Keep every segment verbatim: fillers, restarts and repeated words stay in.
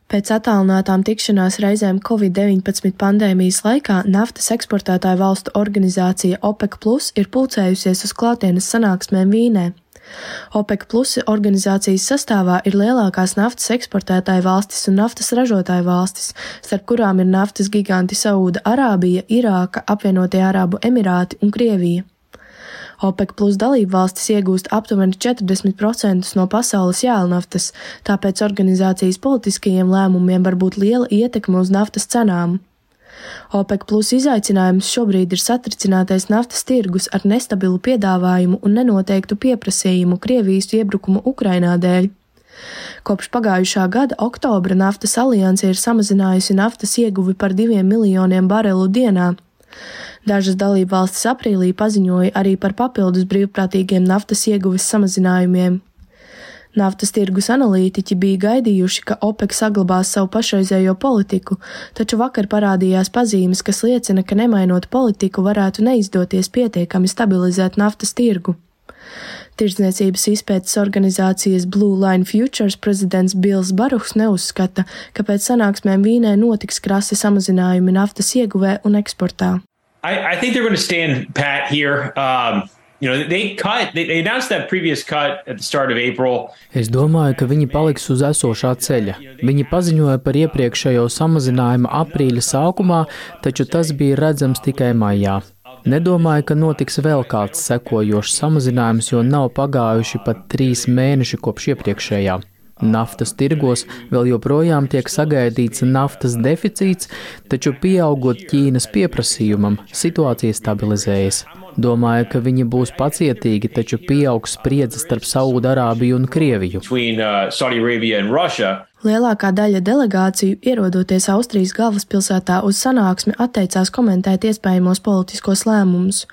Pēc attālinātām tikšanās reizēm covid deviņpadsmit pandēmijas laikā naftas eksportētāju valstu organizācija OPEC plus ir pulcējusies uz klātienes sanāksmēm Vīnē. OPEC plus organizācijas sastāvā ir lielākās naftas eksportētāju valstis un naftas ražotāju valstis, starp kurām ir naftas giganti Saūda Arābija, Irāka, Apvienotie Arābu Emirāti un Krievija. OPEC plus dalību valstis iegūst aptuveni četrdesmit procentus no pasaules jēlnaftas, tāpēc organizācijas politiskajiem lēmumiem var būt liela ietekme uz naftas cenām. OPEC plus izaicinājums šobrīd ir satricinātais naftas tirgus ar nestabilu piedāvājumu un nenoteiktu pieprasījumu Krievijas iebrukuma Ukrainā dēļ. Kopš pagājušā gada oktobra naftas alianse ir samazinājusi naftas ieguvi par diviem miljoniem barelu dienā. Dažas dalībvalstis aprīlī paziņoja arī par papildus brīvprātīgiem naftas ieguves samazinājumiem. Naftas tirgus analītiķi bija gaidījuši, ka OPEC saglabās savu pašreizējo politiku, taču vakar parādījās pazīmes, kas liecina, ka nemainot politiku varētu neizdoties pietiekami stabilizēt naftas tirgu. Tirdzniecības izpētes organizācijas Blue Line Futures prezidents Bills Baruhs neuzskata, ka pēc sanāksmēm Vīnē notiks krasi samazinājumi naftas ieguvē un eksportā. I, I think they're going to stand pat here. Um, you know, they cut, they, they announced that previous cut at the start of April. Es domāju, ka viņi paliks uz esošā ceļa. Viņi paziņoja par iepriekšējo samazinājumu aprīļa sākumā, taču tas bija redzams tikai maijā. Nedomāju, ka notiks vēl kāds sekojošs samazinājums, jo nav pagājuši pat trīs mēneši kopš iepriekšējā. Naftas tirgos vēl joprojām tiek sagaidīts naftas deficīts, taču pieaugot Ķīnas pieprasījumam, situācija stabilizējas. Domāju, ka viņi būs pacietīgi, taču pieaugs spriedze starp Saūda Arābiju un Krieviju. Between, uh, Saudi Arabia and Russia. Lielākā daļa delegāciju, ierodoties Austrijas galvaspilsētā uz sanāksmi, atteicās komentēt iespējamos politiskos lēmumus.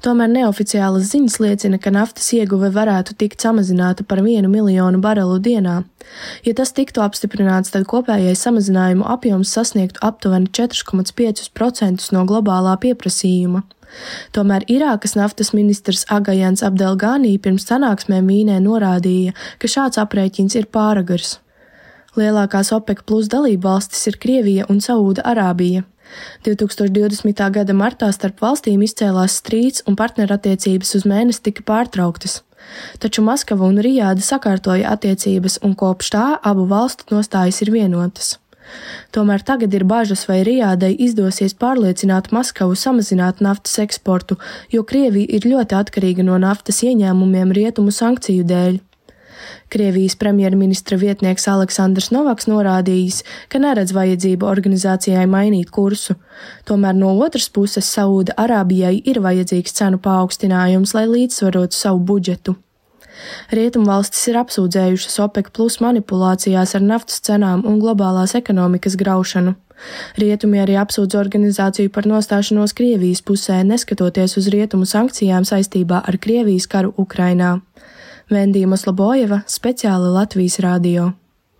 Tomēr neoficiālas ziņas liecina, ka naftas ieguve varētu tikt samazināta par vienu miljonu barelu dienā. Ja tas tiktu apstiprināts, tad kopējais samazinājumu apjoms sasniegtu aptuveni četri komats pieci procenti no globālā pieprasījuma. Tomēr Irākas naftas ministrs Agajans Abdelgānī pirms sanāksmēm Vīnē norādīja, ka šāds aprēķins ir pāragars. Lielākās OPEC plus dalību valstis ir Krievija un Saūda Arābija. divi tūkstoši divdesmitā gada martā starp valstīm izcēlās strīds un partnerattiecības uz mēnesi tika pārtrauktas. Taču Maskava un Rijāda sakārtoja attiecības un kopš tā abu valstu nostājas ir vienotas. Tomēr tagad ir bažas, vai Rijādai izdosies pārliecināt Maskavu samazināt naftas eksportu, jo Krievija ir ļoti atkarīga no naftas ieņēmumiem rietumu sankciju dēļ. Krievijas premjerministra vietnieks Aleksandrs Novaks norādījis, ka neredz vajadzību organizācijai mainīt kursu. Tomēr no otras puses Saūda Arābijai ir vajadzīgs cenu paaugstinājums, lai līdzsvarotu savu budžetu. Rietumvalstis ir apsūdzējušas OPEC plus manipulācijās ar naftas cenām un globālās ekonomikas graušanu. Rietumi arī apsūdz organizāciju par nostāšanos Krievijas pusē, neskatoties uz rietumu sankcijām saistībā ar Krievijas karu Ukrainā. Vendija Moslobojeva, speciāli Latvijas radio.